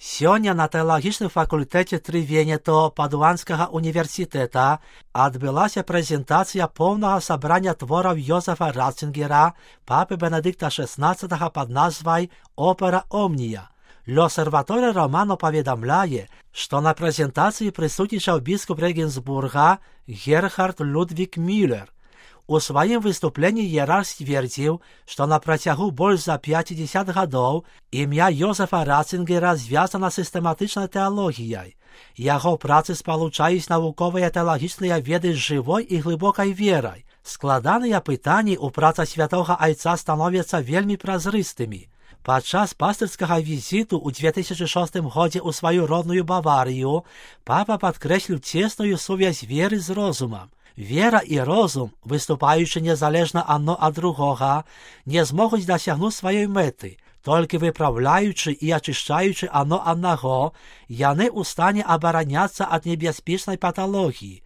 Сёння на тэалагічным факультэце Трывенето Падуанскага універсітэта адбылася прэзентацыя поўнага сабрання твораў Йозефа Ратцингера, папы Бенедыкта XVI пад назвай «Опера Омния». L'Osservatore Romano паведамляе, што на прэзентацыі прысутнічаў біскуп Рэгенсбурга Герхард Людвік Мюллер. У сваім выступленні іерарх сцвердзіў, што на працягу больш за 50 гадоў імя Йозефа Ратцингера звязана сістэматычнай тэалогіяй. Яго працы спалучаюць навуковыя тэалагічныя веды з жывой і глыбокай верай. Складаныя пытанні ў працах святога айца становяцца вельмі празрыстымі. Падчас пастырскага візіту ў 2006 годзе ў сваю родную Баварыю папа падкрэсліў цесную сувязь веры з розумам. Вера і розум, выступаючы незалежна адно ад другога, не змогуць дасягнуць сваёй мэты. Толькі выпраўляючы і ачышчаючы адно аднаго, яны ў стане абараняцца ад небяспечнай паталогіі.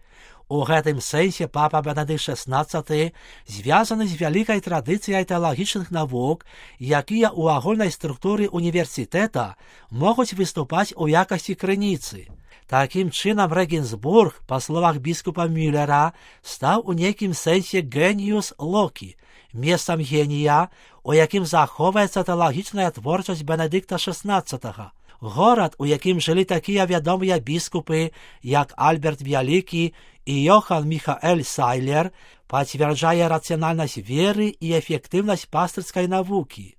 У гэтым сэнсе папа Бенедыкт XVI звязаны з вялікай традыцыяй тэалагічных навук, якія ў агульнай структуры універсітэта могуць выступаць у якасці крыніцы. Такім чынам Рэгенсбург, па словах біскупа Мюллера, стаў у нейкім сэнсе геніус локі, месцам генія, у якім захоўваецца тэалагічная творчасць Бенедыкта XVI. Горад, у якім жылі такія вядомыя біскупы, як Альберт Вялікі і Йохан Міхаэль Сайлер, пацвярджае рацыянальнасць веры і эфектыўнасць пастырскай навукі.